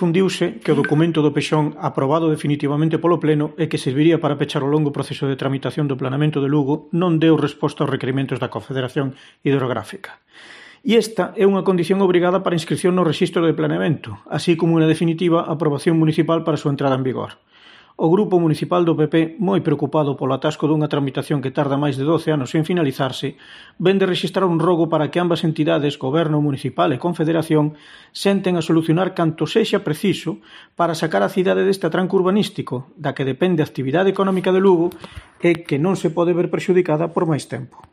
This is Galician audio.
Difundiuse que o documento do Pexón aprobado definitivamente polo Pleno e que serviría para pechar o longo proceso de tramitación do planeamento de Lugo non deu resposta aos requerimentos da Confederación Hidrográfica. E esta é unha condición obrigada para inscripción no rexistro de planeamento, así como unha definitiva aprobación municipal para a súa entrada en vigor. O Grupo Municipal do PP, moi preocupado polo atasco dunha tramitación que tarda máis de 12 anos en finalizarse, ven de rexistrar un rogo para que ambas entidades, Goberno Municipal e Confederación, senten a solucionar canto sexa preciso para sacar a cidade deste atranco urbanístico, da que depende a actividade económica de Lugo e que non se pode ver prexudicada por máis tempo.